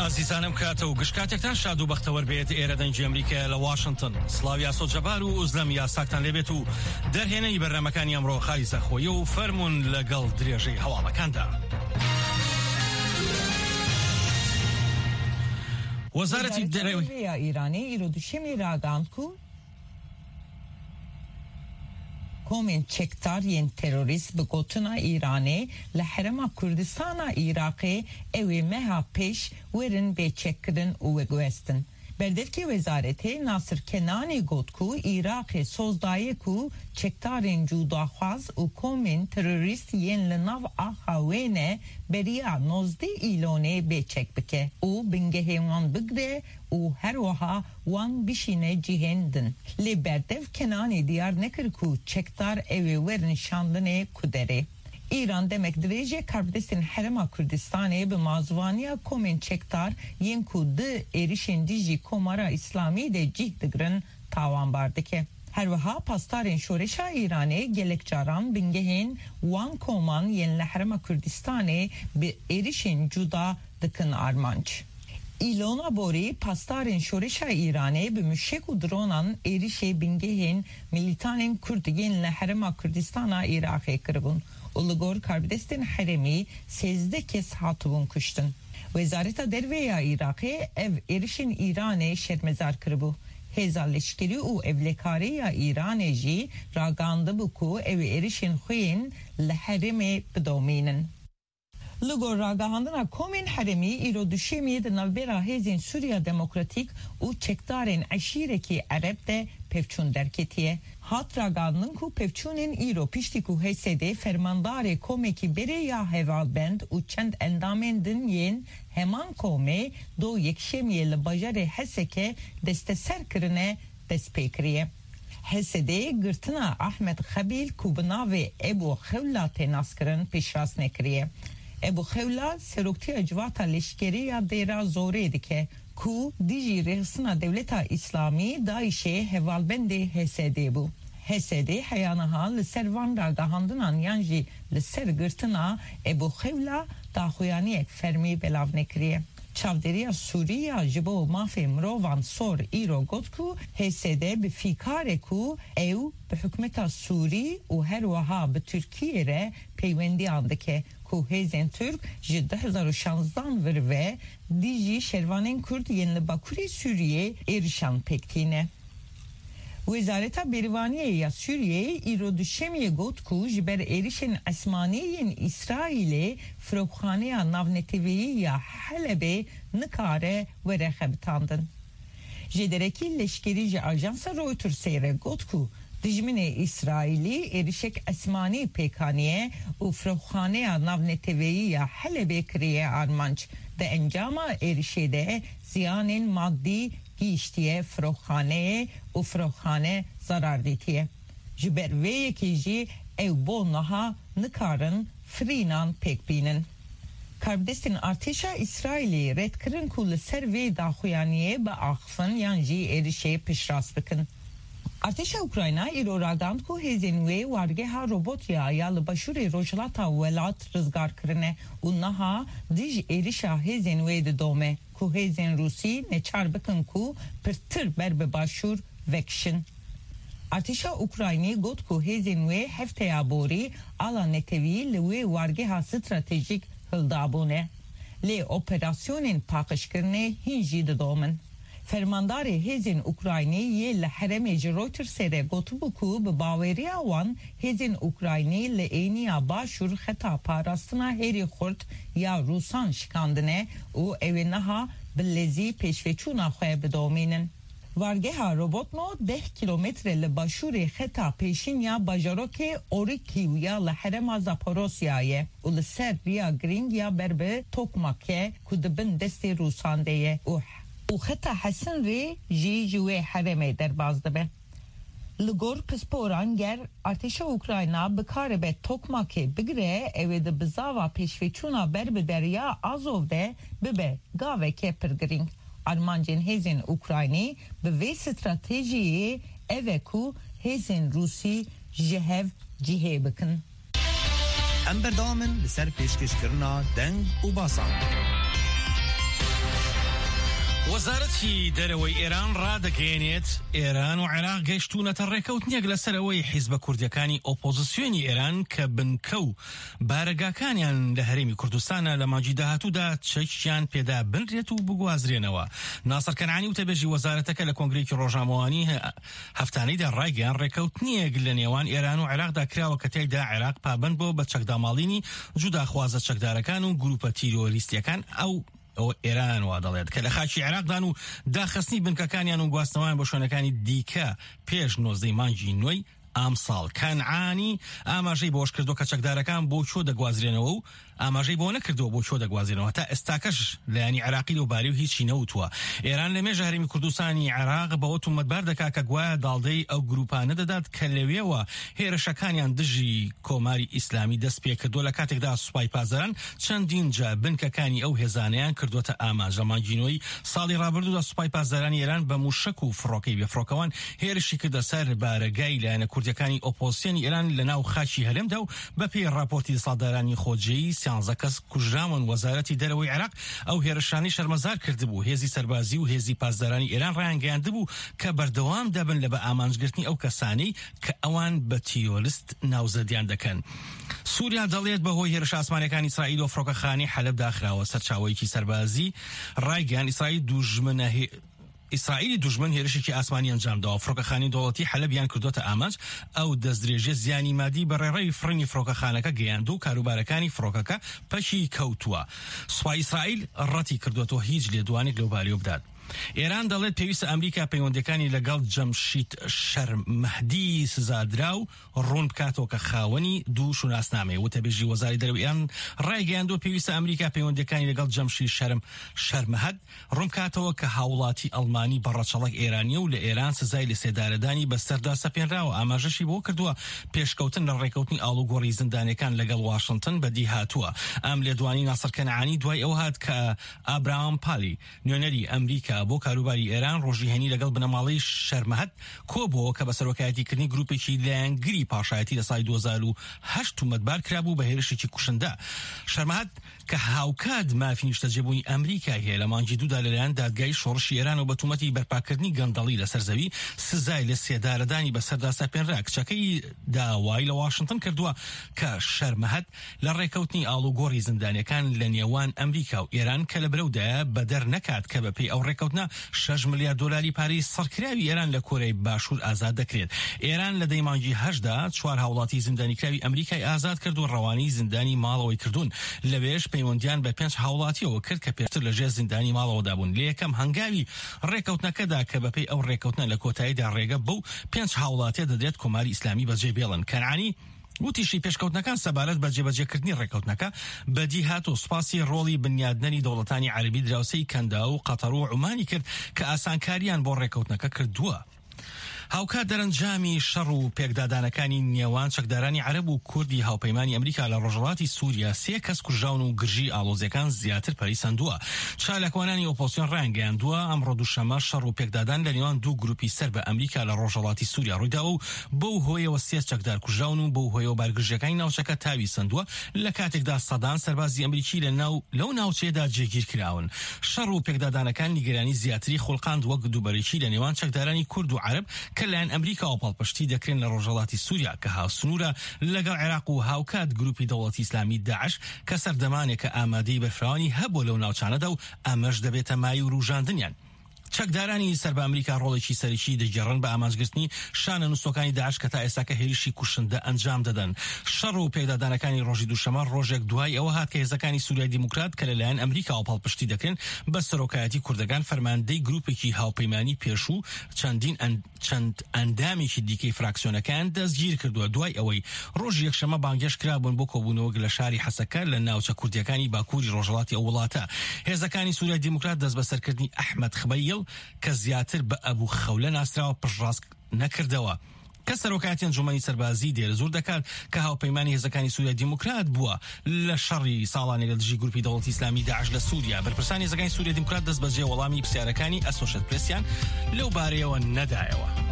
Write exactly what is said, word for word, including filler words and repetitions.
ئازیزانم کاتە و گشت کاتێکتان شاد و بەختەوەر بێت. ئێرە دەنگی ئەمریکا لە واشنگتن. سڵاو یاسۆ جەبار و ئوزلەم یاساکتان لێبێت و دەرهێنەری بەرنامەکانی ئەمڕۆ خالی زەخۆیە و فەرمونون لەگەڵ درێژەی هەواڵەکاندا. وەزارەتی دەرەوەی ئیرانی ئیرۆ دوشەمی ڕاگەیاند کو komên çekdar yên terorîst bi gotina Îranê li Herêma Kurdistana Iraqê ew ê meha pêş werin bêçekkirin û veguhestin. Berdevkê Wezaretê Nasir Kenanî got ku Iraqê soz daye ku çekdarên cudaxwaz û komên terorîst yên li nav axa wê ne beriya nozdeh Îlonê bêçek bike û bingehên wan bigire û her wiha wan bişîne cihên din. Lê berdev Kenanî diyar nekir ku çekdar ew ê werin şandinê ku derê. İran demek dirêje karbidestên Herêma Kurdistanê bi mazûvaniya komên çekdar yên ku di êrişên dijî Komara İslamî de cih digirin tawanbar dike. Her wiha pastarên şoreşa Îranê gelek caran bingehên wan koman yên li Herêma Kurdistanê bi êrişên cuda dikin armanc. Îlona borî pastarên şoreşa Îranê bi mûşek û dronan êrişê bingehên milîtanên Kurd yên li Herêma Kurdistana Iraqê kiribûn û li gor karbidestên herêmî sêzdeh kes hatibûn kuştin. Wezareta Derve ya Iraqê ev êrişên Îranê şermezar kiribû. Hêza leşkerî û ewlekarî ya Îranê jî ragihandibû ku ew êrişên xwe yên li herêmê bidomînin. Li gor ragihandina komên herêmî îro duşemiyê di navbera hêzên Sûriya Demokratîk û çekdarên eşîrekî Ereb de pevçûn derketiye. Hat ragihandin ku pevçûnên îro piştî ku H S D fermandarê komekî berê ya hevalbend û çend endamên din yên heman komê do yekşemiyê li bajarê Heseke desteser kirine dest pê kiriye. H S D girtina Ahmed Xebîl ku bi navê Ebû Xewla tê naskirin piştrast nekiriye. Ebû Xewla seroktiya civata leşkerî ya Dêra Zorê dike ku dijî rêxistina Dewleta İslamî DAIŞê hevalbendê H S D bû. H S D heya niha li ser van ragihandinan yan jî li ser girtina Ebû Xewla daxuyaniyek fermî belav nekiriye. Çavdêriya Sûrî ya ji bo mafê mirovan SOHR îro got ku H S D bi fîkare ku ew bi hikûmeta Sûrî û her wiha bi Tirkiyê re peywendiyan dike ku hêzên Türk ji du hezar û şanzdan vir ve dijî şervanên Kurd yên li Bakurê Sûriyê êrişan pêk tîne. Wezareta Bêrivaniyê ya Sûriyeyê îro duşemiyê got ku ji ber êrişên esmanî yên İsraîlê firokxaneya navneteweyî ya Helebê nikare were xebitandin. Jêderekî leşkerî ji ajansa Reutersê re got ku dijminê İsraîlî êrişek esmanî pêk aniye û firokxaneya navneteweyî ya Helebê kiriye armanc. Di encama êrişê de ziyanên maddî gihîştiye firokxaneyê û firokxane zarar dîtiye. Ji ber vê yekê jî ew bo niha nikarin firînan pêk bînin. Karbidestên artêşa İsraîlê red kirin ku li ser vê daxuyaniyê biaxivin yan jî êrişê piştrast bikin. Artêşa Ukrayna îro ragihand ku hêzên wê wargeha Robotya ya li başûrê rojhilata welat rizgar kirine û niha dij êrişa hêzên wê didome ku hêzên Rûsî neçar bikin ku pirtir ber bi başûr vekişin. Artêşa Ukraynî got ku hêzên wê hefteya borî ala netewî li wê wargeha stratejîk hildabûne. Lê operasyonên paqijkirinê hîn jî didomin. Fermandarê hêzên Ukraynî yê li herêmê ji Reutersê re gotibû ku bi baweriya wan hêzên Ukraynî li êniya başûr xeta parastina herî xurt ya Rûsan şikandine û ew ê niha bi lezî pêşveçûna xwe bidomînin. Wargeha Robotno deh kîlometre li başûrê xeta pêşîn ya bajarokê Orîkîw ya li herêma Zaporosyayê ye û li ser riya girîng ya ber bi Tokmakê ku di bin destê Rûsan de ye û û xeta hesin rê jî ji wê herêmê derbas dibe. Li gor pisporan ger artêşa Ukrayna bikaribe Tokmakê bigire ew ê di bizava pêşveçûna ber bi derya Azov de bibe gaveke pir girîng. Armancên hêzên Ukraynî bi vê stratejiyê ev e ku hêzên Rûsî ji hev cihê bikin. Em berdewam in li ser pêşkêşkirina deng û basan. وەزارەتی دەرەوەی ئێران ڕادەگەیەنێت ئێران و عێراق گەیشتوونەتە ڕێکەوتنێک لەسەر ئەوەی حیزبە کوردیەکانی ئۆپۆزیسیۆنی ئێران کە بنکە و بارەگاکانیان لە هەرێمی کوردستانە لە مانگی داهاتوودا چەکیان پێدا بنرێت و بگوازرێنەوە. ناسر کەنعانی وتەبێژی وەزارەتەکە لە کۆنگرەیەکی ڕۆژنامەوانی هەفتانەیدا ڕایگەیاند ڕێکەوتنێک لە نێوان ئێران و عێراقدا کراوە کە تیایدا عێراق پابەند بووە بە چەکداماڵینی جوداخوازە چەکدارەکان و گروپە تیرۆریستیەکان ئەو ئەو ئێران وا دەڵێت کە لە خاکی عێراقدان و داخستنی بنکەکانیان و گواستنەوەیان بۆ شوێنەکانی دیکە پێش نۆزدەی مانگی نۆی ئەمساڵ. کەنعانی ئاماژەی بۆش کردو کە چەکدارەکان بۆ کوێ دەگوازرێنەوە و ئاماژەی بۆ نەکردەوە بۆ کوێ دەگوازرێنەوە. تا ئێستاکەش لایەنی عێراقی لەو بارەی و هیچی نەوتووە. ئێران لە مێژە هەرێمی کوردستانی عێراق بەوە تومەتبار دەکات کە گوایە داڵدەی ئەو گروپانە دەدات کە لەوێوە هێرشەکانیان دژی کۆماری ئیسلامی دەست پێکردووە، لە کاتێکدا سوپای پاسداران چەندین جار بنکەکانی ئەو هێزانەیان کردووەتە ئامانج. لە مانگی نۆی ساڵی ڕابردوودا سوپای پاسدارانی ئێران بە موشەک و فڕۆکەی بێفڕۆکەوان هێرشی کردە سەر بارەگای لایەنە کوردیەکانی ئۆپۆزیسیۆنی ئێران لە ناو خاکی هەرێمدا و بەپێی ڕاپۆرتی دەسەڵاتدارانی خۆجێی سیانزە کەس کوژراون. وەزارەتی دەرەوەی عێراق ئەو هێرشانەی شەرمەزار کردبوو. هێزی سەربازی و هێزی پاسدارانی ئێران ڕایانگەیاندبوو کە بەردەوام دەبن لە بە ئامانجگرتنی ئەو کەسانەی کە ئەوان بە تیرۆریست ناوزەدیان دەکەن. سووریا دەڵێت بەهۆی هێرشە ئاسمانیەکانی ئیسرائیل و فڕۆکەخانەی حەلەب داخراوە. سەرچاوەیەکی سەربازی ڕایگەیاند ئیسرائیل دوژمنە ئیسرائیلی دوژمن هێرشێکی ئاسمانی ئەنجامداوە، فڕۆکەخانەی دەوڵەتی حەلەبیان کردوتە ئامانج. ئەو دەستدرێژیە زیانی مادی بە ڕێڕەوی فڕینی فڕۆکەخانەکە گەیاند و کاروبارەکانی فڕۆکەکە پەکی کەوتووە. سوپای ئیسرائیل ڕەتی کردوەتەوە هیچ لێدوانێک لەو بارەیەوە بدات. ئێران دەڵێت پێویستە ئەمریکا پەیوەندەکانی لەگەڵ جەمشید شەرمەهدی سزادرا و ڕوون بکاتەوە کە خاوەنی دوو شوناسنامەیە. وتەبێژی وەزاری دەرەوەی ئێران ڕایگەیاندووە پێویستە ئەمریکا پەیوەندەکانی لەگەڵ جەمشید شەرم شەرمەهد ڕوون بکاتەوە کە هاوڵاتی ئەڵمانی بە ڕەچەڵەک ئێرانیە و لە ئێران سزای لەسێدارەدانی بەسەردا سەپێنراوە. ئاماژەشی بۆ کردووە پێشکەوتن لە ڕێکەوتنی ئاڵوگۆڕی زیندانیەکان لەگەڵ واشنگتن بەدی هاتووە. ئەم لێدوانی ناسر کەنعانی دوای ئەو هات کە ئابراهام پالی نوێنەری ئەمریکا بۆ کاروباری ئێران ڕۆژی هەینی لەگەڵ بنەماڵەی شەرمەهد کۆبووەوە کە بە سەرۆکایەتیکردنی گروپێکی لایەنگری پاشایەتی لە ساڵی دوو هەزار و هەشت تومەتبار کرابوو بە هێرشێکی کوشندە. شەرمەهد کە هاوکات مافی نیشتەجێبوونی ئەمریکای هەیە لە مانگی دوودا لەلایەن دادگای شۆڕشی ئێرانەوە بە تومەتی بەرپاکردنی گەندەڵی لەسەر زەوی سزای لە سێدارەدانی بەسەردا سەپێنرا. کچەکەی داوای لە واشنگتن کردووە کە شەرمەهد لە ڕێکەوتنی ئاڵوگۆڕی زیندانیەکان لە نێوان ئەمریکا و ئێران کە لە برەودایە بەدەر نەکات کە بەپێی ئەو ڕێکەوتنە شەش ملیار دۆلاری پارەی سڕکراوی ئێران لە کۆریای باشوور ئازاد دەکرێت. ئێران لە دەی مانگی هەشتدا چوار هاوڵاتی زیندانیکراوی ئەمریکای ئازاد کرد و ڕەوانەی زیندانی ماڵەوەی کردوون. لەوێش پەیوەندیان بە پێنج هاوڵاتیەوە کرد کە پێشتر لەژێر زیندانی ماڵەوەدا بوون. لە یەکەم هەنگاوی ڕێکەوتنەکەدا کە بەپێی ئەو ڕێکەوتنە لە کۆتاییدا ڕێگە بەو پێنج هاوڵاتیە دەدرێت کۆماری ئیسلامی بەجێ بێڵن. کەنعانی وتیشی پێشکەوتنەکان سەبارەت بە جێبەجێکردنی ڕێکەوتنەکە بەدی هات و سوپاسی ڕۆڵی بنیادنەری دەوڵەتانی عەرەبی دراوسێی کەندا و قەتەر و عومانی کرد کە ئاسانکاریان بۆ ڕێکەوتنەکە کردووە. هاوکات دەرەنجامی شەڕ و پێکدادانەکانی نێوان چەکدارانی عەرەب و کوردی هاوپەیمانی ئەمریکا لە ڕۆژهەڵاتی سووریا سێ کەس کوژراون و گرژی ئاڵۆزیەکان زیاتر پەرەی سەندووە. چالاکوانانی ئۆپۆزسیۆن ڕایانگەیاندووە ئەمڕۆ دووشەممە شەڕ و پێکدادان لە نێوان دوو گروپی سەر بە ئەمریکا لە ڕۆژهەڵاتی سووریا ڕوویداوە و بەو هۆیەوە سێ چەکدار کوژراون و بەو هۆیەوە بارگرژیەکانی ناوچەکە تاوی سەندووە، لە کاتێکدا سەدان سەربازی ئەمریکی لە ناو لەو ناوچەیەدا جێگیر کراون. شەڕ و پێکدادانەکان نیگەرانی زیاتری خوڵقاند وەک دووبەرەکی لە نێوان چەکدارانی کورد و عەرەب کە لایەن ئەمریکاوە پاڵپشتی دەکرێن لە ڕۆژهەڵاتی سووریا کە هاوسنوورە لەگەڵ عێراق و هاوکات گروپی دەوڵەتی ئیسلامی داعش کە سەردەمانێکە ئامادەی بەرفراوانی هەبووە لەو ناوچانەدا و ئەمەش دەبێتە مایەی وروژاندنیان. چەکدارانی سەر بە ئەمریکا ڕۆڵێکی سەرەکی دەگێڕن بە ئامانجگرتنی شانە نووسەکانی داعش کە تا ئێستاکە هێرشی کوشندە ئەنجام دەدەن. شەڕ و پێکدادانەکانی ڕۆژی دووشەممە ڕۆژێک دوای ئەوە هات کە هێزەکانی سووریای دیموکرات کە لەلایەن ئەمریکاوە پاڵپشتی دەکرێن بە سەرۆکایەتی کوردەکان فەرماندەی گروپێکی هاوپەیمانی پێشوو چەندین چەند ئەندامێکی دیکەی فراکسیۆنەکان دەستگیر کردووە دوای ئەوەی ڕۆژی یەکشەممە بانگهێشت کرابوون بۆ کۆبوونەوەک لە شاری حەسەکە لە ناوچە کوردیەکانی باکووری ڕۆژهەڵاتی ئەو وڵاتە. هێزەکانی سووریای دیموکرات دەستبەسەرکردنی ئەحمەد خبەیل کە زیاتر بە ئەبوو خەولە ناسراوە پشتڕاست نەکردەوە کە سەرۆکایەتی ئەنجومەنی سەربازی دێرزور دەکات کە هاوپەیمانی هێزەکانی سووریای دیموکرات بووە لە شەڕی ساڵانێک لە دژی گروپی دەوڵەتی ئیسلامی داعش لە سووریا. بەرپرسانی هێزەکانی سووریای دیموکرات دەستبەجێ وەڵامی پرسیارەکانی ئەسۆشێت پرێسیان لەو بارەیەوە نەدایەوە.